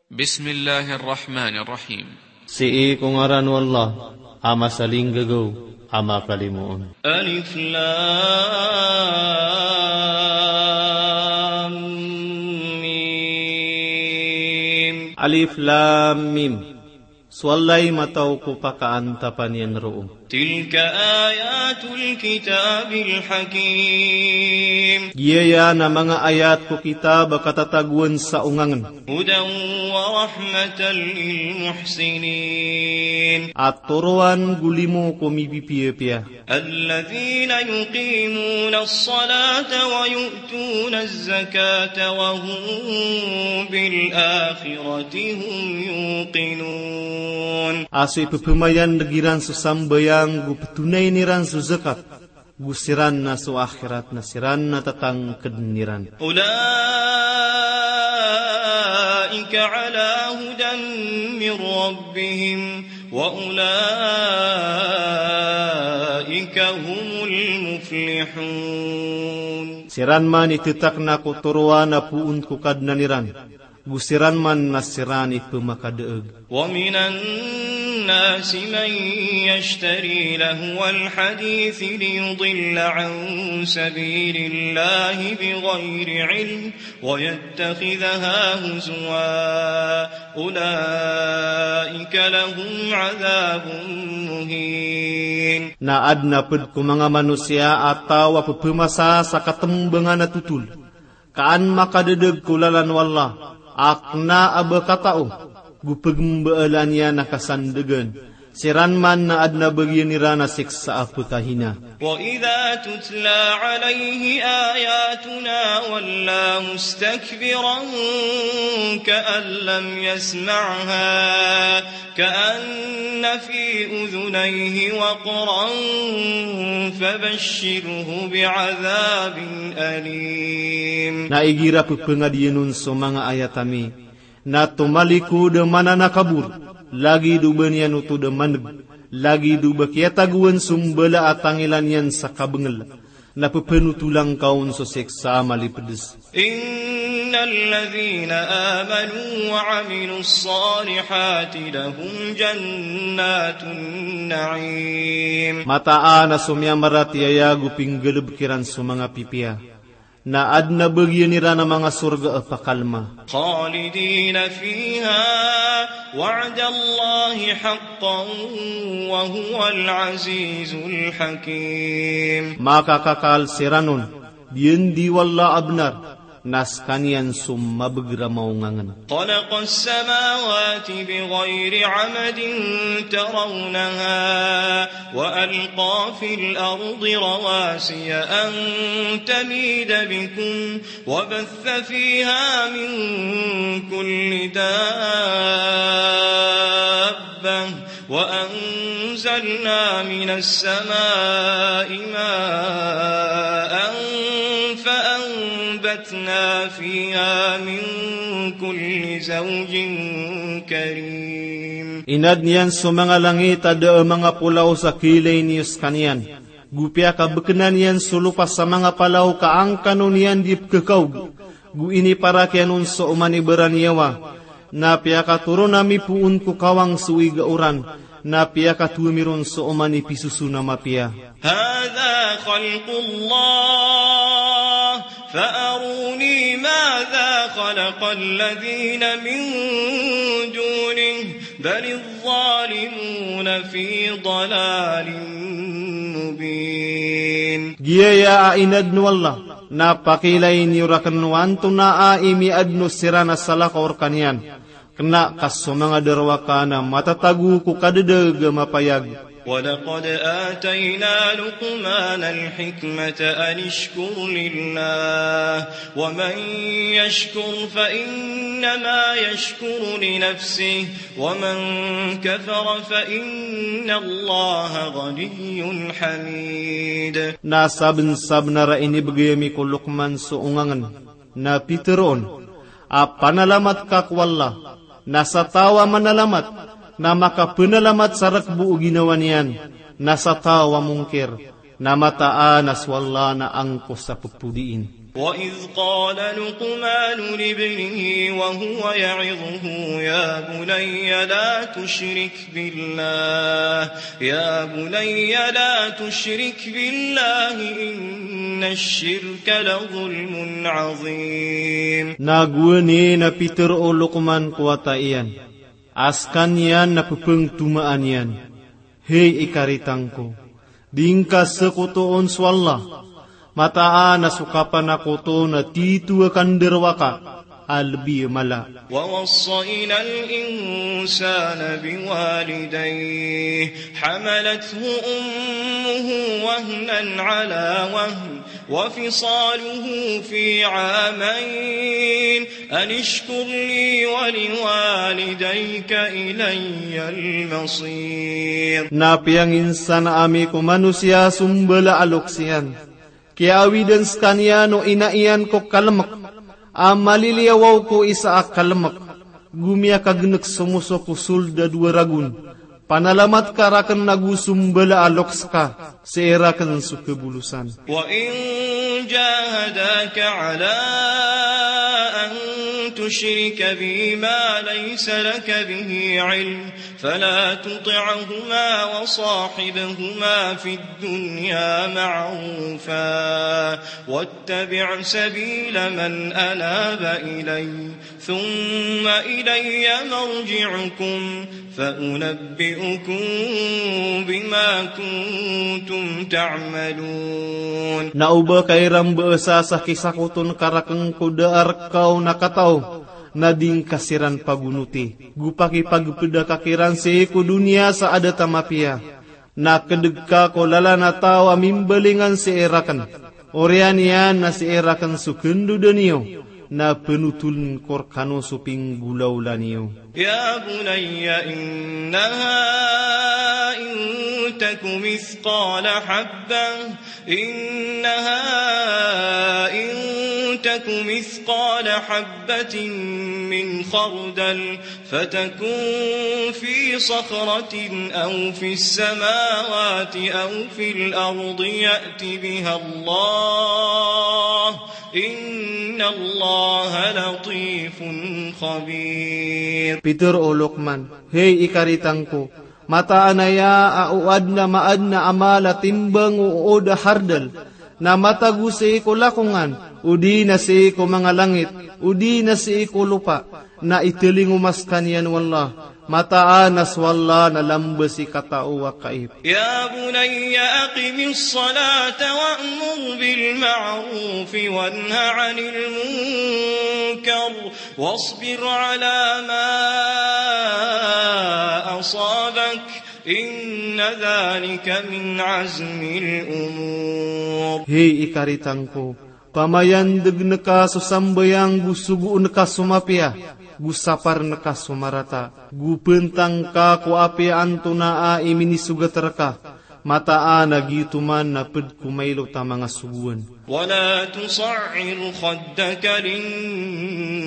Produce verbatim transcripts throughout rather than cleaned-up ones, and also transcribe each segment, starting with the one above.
Bismillahir Rahmanir Rahim. Sii ko ngaran o Allah, a masalinggagaw, a makalimoon. Alif Lam Mim. Alif Lam Mim. So Allah i matao ko pakaantapan iyan roo. Tilka ayatul kitabil hakim. Giyaya na manga ayat ko kitab a katatagoan sa ongangen. Hudan wa rahmatan lil muhsinin. A toroan go limo ko mipipiyapiya. Alladhina yuqimunas salata wa yu'tunaz zakata wa hum bil akhirati hum yuqinun. A so ipepemayaneg iran so sambayang, go petonayin iran so zakat, go siran na so akhirat na siran na tatangkeden iran. Ulaika ala hudan min rabbihim wa ulaika humul muflihun. Siran man i tetakna ko toroan a poon ko Kadnan iran, go siran man na siran i pemakadaeg. Wa minan nasi man yashtari lahwal hadithi liyudilla an sabilillahi bighayri ilm wa yattakhidhaha huzwa. Ulaika lahum adhabun muhin. Na aden a ped ko manga manosiya a taw a pepemasa sa katembangan a totol, ka an makadedeg ko lalan o Allah, a kena a ba katao, go pegembaalan iyan a kasandegan. Siran man na aden a bagian iran a siksa a pekahina. Wa idha tutla alayhi ayatuna walla mustakbiran ka'an lam yasma'ha ka'anna fi udhunayhi waqran fabashshirhu bi'adhabin alim. Na igira pepengadiyan on so manga ayat ami, na tomalikod a mananakabor, lagid o ba niyan oto da maneg, lagid o ba kiyatagoan so mbala a tangilan iyan sa kabengel, na pepenotolan ka on so siksa a malipedes. Innal ladhina amanu wa amilus salihati lahum jannatun na'im. Mataan a so miyamaratiyaya go pinggalebek iran so manga pipiya, na aden a bagian iran a manga sorga a pakalma. Khalidina fiha, wa'dallahi haqqan wa huwal azizul hakim. Makakakal siran on, diyandi o Allah a benar, na sekaniyan so mabeger a maongangen. Khalaqas samawati bighayri amadin tarawnaha, wa alqa fil ardi rawasiya an tamida bikum, wa batha fiha min kulli dabbah, wa anzalna minas samai ma'an fa anbatna fiha min kulli zawjin karim. Inadn iyan so manga langit a da a manga polaos a kiilay niyo sekaniyan, go piyakabekenan iyan so lopa sa manga palaw ka angkano niyan di pekekaog, go iniparak iyan on so oman i baraniyawa, na piyakatoron ami poon ko kawang so iga oran, na piyakatowa mi ron so oman i pisoson a mapiya. Hadha khalqullah, fa aruni madha khalaqal ladhina min dunih, balidh dhalimuna fi dhalalin mubin. Giyaya a inadn o Allah, na pakiilay niyo raken o antonaa i miyaadn o siran a salakaw rekaniyan. Kena ka so manga darowaka na matatago ko kadadag a mapayag. Wa laqad atayna Luqmanal hikmata anishkur lillah, wa man yashkur fa innama yashkuru li nafsih, wa man kafara fa innallaha ghaniyyun hamid. Na sabensabenar a inibegay ami ko Luqman so ongangen, na pitero on a panalamat ka ko Allah, na sa taw a manalamat na makapenalamat sa rekbo o ginawa niyan, na sa taw a mongkir na mataan a so Allah na angkosa pepodiin. وإذ قال لقمان لابنه وهو يعظه يا بني لا تشرك بالله، يا بني لا تشرك بالله إن الشرك لظلم عظيم. Na gowani na pitharo o Luqman ko wata iyan a skaniyan na pphangtomaan iyan, hay ikaritang ko, di ngka sakotoon so Allah. Mataan a so kapanakoto na tito a kandarowaka a lbi a mala. ووصينا الإنسان بوالديه حملته أمه وهنا على وهن وفصاله في عامين أن اشكر لي ولوالديك إلي المصير. Na piyanginsan ami ko manosiya so mbala a loks iyan, kiyaawid skaniyan o ina iyan ko kalmk a maliliyawaw ko isa a kalmk, go miyakagnk so moso ko sold a dowa ragon, panalamat ka rakn ago so mbala a loks ka, sii rakn so kabolosan. وإن جاهداك على أن تشرك بي ما ليس لك به علم فلا تطعهما وصاحبهما في الدنيا معروفا واتبع سبيل من أناب إلي ثم إلي مرجعكم فأنبئكم بما كنتم تعملون. Na oba ka iran basa sa kisakoton ka rakn ko da a rka on a katao, na di ngka siran pagonoti, go pakipagpda ka kiran sii ko doniya sa adat a mapiya. Na kdg ka ko lalan a taw a mimbalingan sii rakn. Oriyan iyan na sii rakn so kandoda niyo, na pnotoln ko rkano so pinggolawla niyo. يا بني إنها إن تك مثقال حبة، إنها إن تك مثقال حبة من خردل فتكن في صخرة أو في السماوات أو في الأرض يأت بها الله إن الله لطيف خبير. Pitharo o Luqman, hay ikaritang ko, mataan aya a o adn a maadn a amal a timbang o ood a hardal, na matago sii ko lakongan, odi na sii ko manga langit, odi na sii ko lopa, na italingoma skaniyan o Allah. Mataan a so Allah na lamba sii katao a kaip. يا بني أقم الصلاة وأمر بالمعروف وانه عن المنكر واصبر على ما أصابك إن ذلك من عزم الأمور. Hay ikaritang ko, pamayandgn ka so sambayang go sogoon ka so mapiya, go saparn ka so marata, go pntang ka ko apiya antonaa i minisogat rka, mataan a giyoto man na pd ko mailot a manga sogoan. ولا تصعر خدك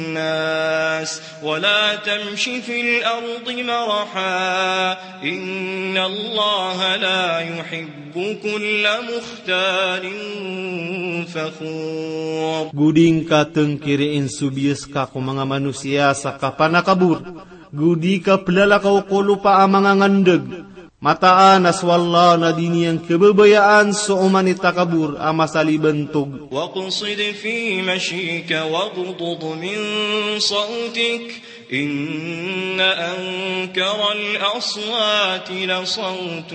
للناس ولا تمش في الأرض مرحا إن الله لا يحب كل مختال فخور. Go di ngka tngkiriin so biyas ka ko manga manosiya sa kapanakabor, go di ka plalakaw ko lopa a manga ngandg. Mataan a so Allah na di niyan khababayaan so oman i takabor a masaliban tog. واقصد في مشيك واغضض من صوتك إن أنكر الأصوات لصوت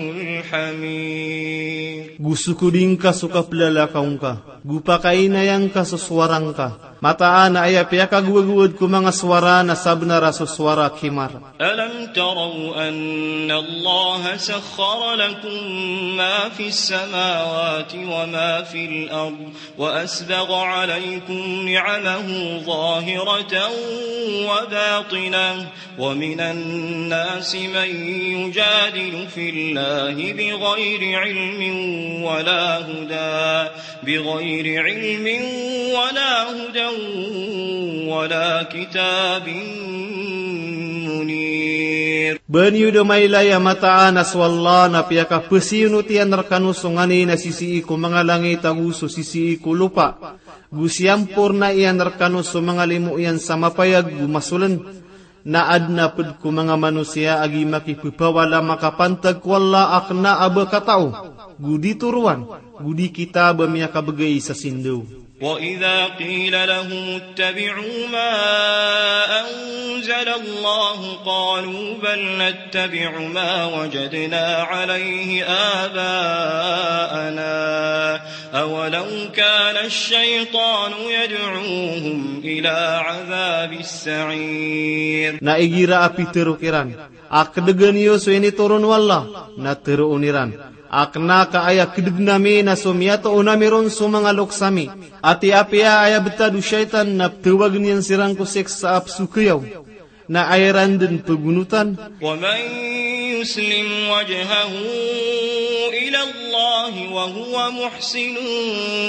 الحمير. Go sokodi ngka so kaplalakaw ngka, go pakainaya ngka so sowara ngka. Mataan a aya piyakagowagowad ko manga sowara na sabnar a so sowara a kimar. ألم تروا أن الله سخر لكم ما في السماوات وما في الأرض وأسبغ عليكم نعمه ظاهرة وباطنة ومن الناس من يجادل في الله بغير علم ولا هدى بغير علم ولا هدى ولا كتاب منير. Ba niyo da mailay a mataan a so Allah na piyakapasiyonot iyan rkano so nganin a sisii ko manga langit ago so sisii ko lopa. Go siyamporna iyan rkano so manga limo iyan sa mapayag go masoln. Na adn a pd ko manga manosiya a gii makipphawala makapantag ko Allah a kna a ba katao, go di toroan, go di kitab a miyakabgay sa sindaw. وإذا قيل لهم اتبعوا ما أنزل الله قالوا بل نتبع ما وجدنا عليه آباءنا أولو كان الشيطان يدعوهم إلى عذاب السعير. Na igira a pitharo kiran a kdgn iyo so initoron o Allah, na tharoon iran a kna ka aya kdgn ami na so miyatoon ami ron so manga loks ami. Ati apiya aya btad o shaytan na pthawagn iyan siran ko siksa a psokayaw. Na aya iran dn pgonotan. ومن يسلم وجهه إلى الله وهو محسن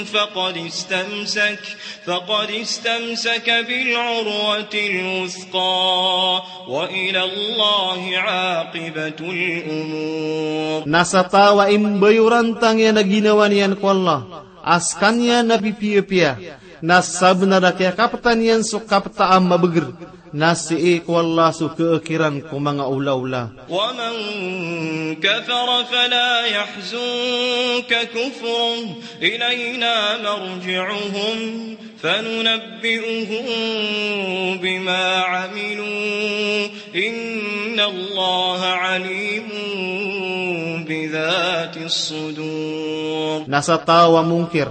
فقد استمسك فقد استمسك بالعروة الوثقى وإلى الله عاقبة الأمور. Na sa taw a imbayorantang iyan a ginawa niyan ko Allah a skaniyan a pipiyapiya, na sabnar a kiyakaptan iyan so kapta a mabagr, na sii ko Allah so khakiran ko manga olaola. ومن كفر فلا يحزنك كفره إلينا مرجعهم فننبئهم بما عملوا إن الله عليم بذات الصدور. Na sa taw a mongkir,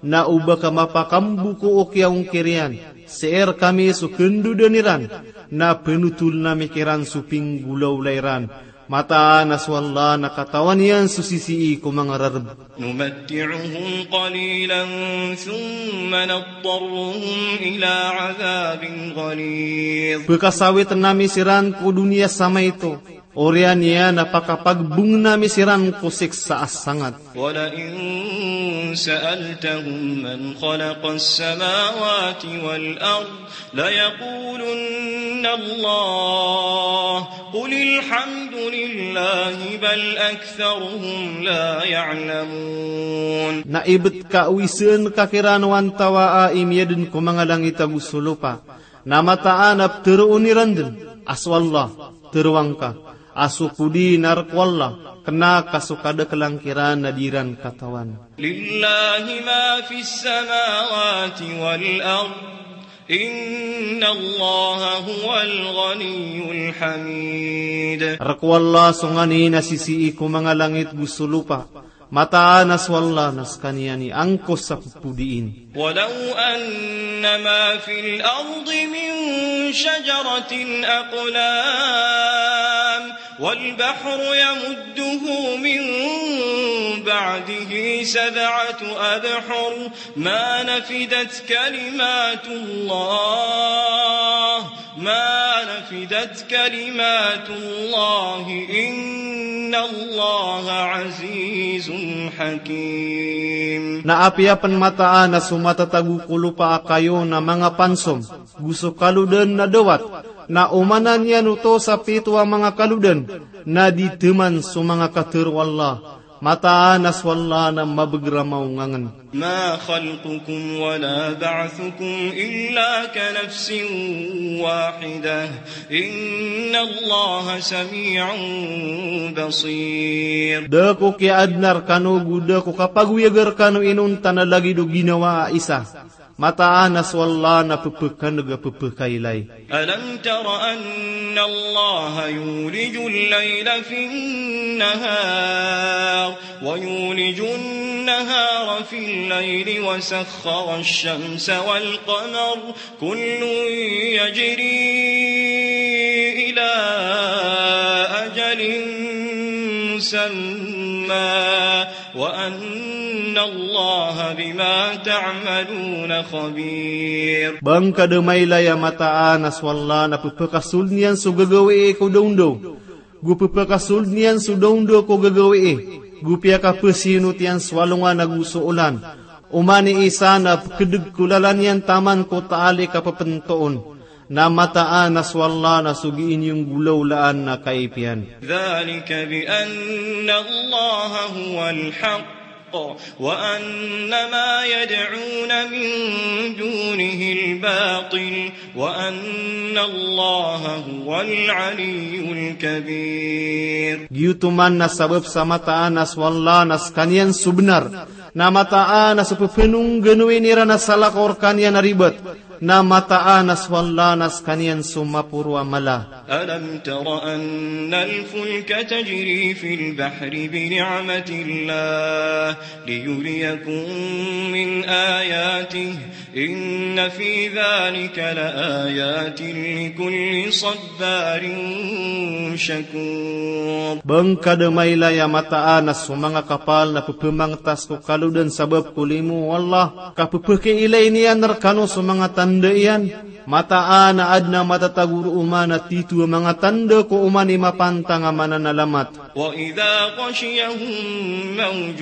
na o ba ka mapakambo ko kiyaongkir iyan, sii rkami so khandodan iran, na phanotoln ami kiran so pinggolaola iran. Mataan a so Allah na katawan iyan so sisii ko manga rarb. نمتعهم قليلا ثم نضطرهم إلى عذاب غليظ. Pkhasawitn ami siran ko doniya sa maito, oriyan iyan a pakapagbongn ami siran ko siksa a sangat. ولئن سألتهم من خلق السماوات والأرض ليقولن الله قل الحمد لله بل أكثرهم لا يعلمون. Na ibt ka o isn ka kiran o antawaa i miyadn ko manga langit ago so lopa, na mataan a ptharoon iran dn a so Allah, tharoa ngka a so podi na rk o Allah, kna ka so kadaklan kiran na di ran katawan. لله ما في السماوات والأرض إن الله هو الغني الحميد. Rk o Allah so nganin a sisii ko manga langit go so lopa. Mataan a so Allah na skaniyan i angkos a ppodiin. ولو أن ما في الأرض من شجرة أقلام والبحر يمده من بعده سبعة أبحر ما نفدت كلمات الله ما نفدت كلمات الله إن الله عزيز حكيم. Na apiya pn mataan a so matatago ko lopa a kayo na manga pansom go so kalodan na dawat, na omanan iyan oto sa pito a manga kalodan, na di thaman so manga katharo o Allah. Mataan a so Allah na mabagr a maongangn. ما خلقكم ولا بعثكم إلا كنفس واحدة إن الله سميع بصير. Da ko kiyaadna rkano go da ko kapagoyaga rkano inonta na lagid o ginawa a isa. Mataan a so Allah na pphakan'g a pphakailay. ألم تر أن الله يولج الليل في النهار ويولج النهار في الليل وسخر الشمس والقمر كل يجري إلى أجل مسمى وأن الله بما تعملون خبير. Ba ngka da mailay a mataan a so Allah na pphakasold iyan so gagawii ko dawndaw, go pphakasold iyan so dawndaw ko gagawii, go piyakapzinot iyan so alongan ago so olan. Oman i isa na pkdg ko lalan iyan taman ko taali ka ppntoon. Na mataan a so Allah na so gii niyo nggolawlaan na kaipiyan. ذلك بأن الله هو الحق وأن ما يدعون من دونه الباطل وأن الله هو العلي الكبير. Giyoto man na sabap sa mataan a so Allah na skaniyan so bnar, na mataan a so pphanogganoin iran a salakaw rkaniyan a ribat, na mataan a so Allah na skaniyan so maporo a mala. ألم تر أن الفلك تجري في البحر بنعمة الله ليريكم من آياته إن في ذلك لآيات لكل صبار شكور. Ba ngka da mailay a mataan a so manga kapal na pphmangtas ko kalodan sabap ko limo o Allah, ka pphkiilay niyan rkano so manga tanda iyan. Mataan a adn a matatago roo man a titho a manga tanda ko oman i mapantang a mananalamat. وإذا غشيهم موج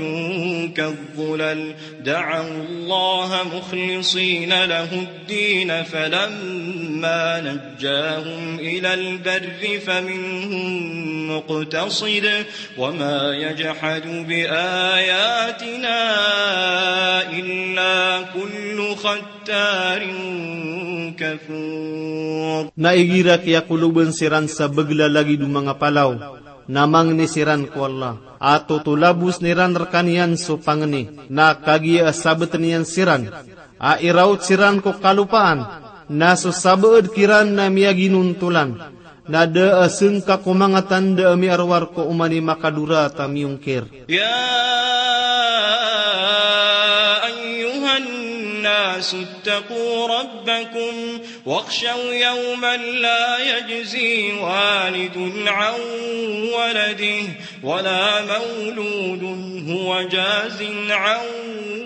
كالظلل دعوا الله مخلصين له الدين فلما نجاهم إلى البر فمنهم مقتصد وما يجحد بآياتنا إلا كل ختار كفور. Na igira kiyakolobn siran sa bglalagid o manga palaw, na mangni siran ko Allah a totolabosn iran rkaniyan so pangni, na kagiya a sabtn iyan siran a iraot siran ko kalopaan, na so sabaad kiran na miyaginontolan, na da a sngka ko manga tanda a miarowar ko oman i makadorat a miyongkir. يا أيها الناس اتقوا ربكم واخشوا يوما لا يجزي والد عن ولده ولا مولود هو جاز عن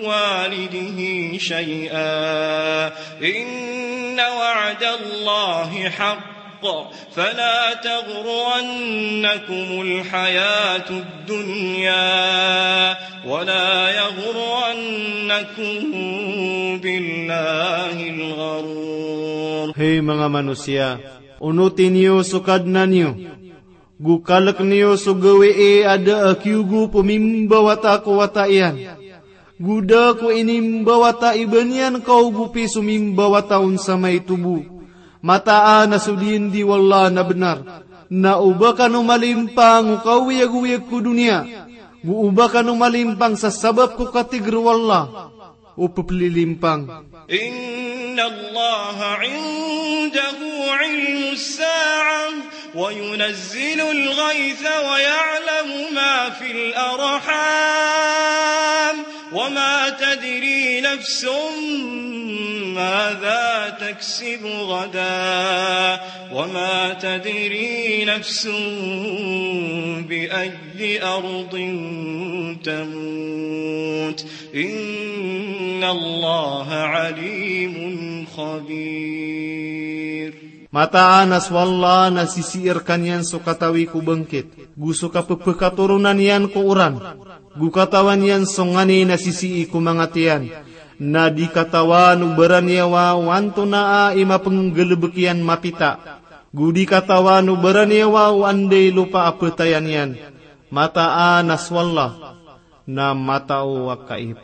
والده شيئا إن وعد الله حق فلا تغرنكم الحياة الدنيا ولا يغرنكم بالله الغرور. Hay manga manosiya, onoti niyo so Kadnan iyo, go kalk niyo so gawii a da a kiyogop o mimbawata ko wata iyan, go da ko inimbawata i ba niyan kaogopi so mimbawata on sa maito bo. Mataan a so diyandi o Allah na bnar, na o ba kano malimpang o kaoyagoyag ko doniya, go o ba kano malimpang sa sabap ko katigr o Allah, o pplilimpang. إن الله عنده علم الساعة وينزل الغيث ويعلم ما في الأرحام وما تدري نفس ماذا تكسب غدا وما تدري نفس بأي أرض تموت إن الله عليم خبير. Mataan a so Allah na sisii rkaniyan so katawi ko bangkit, go so kappkatoronan iyan ko oran, go katawan iyan so nganin a sisii ko manga tiyan, na di katawan o baraniyawa o antonaa i mapnggalbk iyan mapita, go di katawan o baraniyawa o anda i lopa a ptayan iyan. Mataan a so Allah na matao a kaib.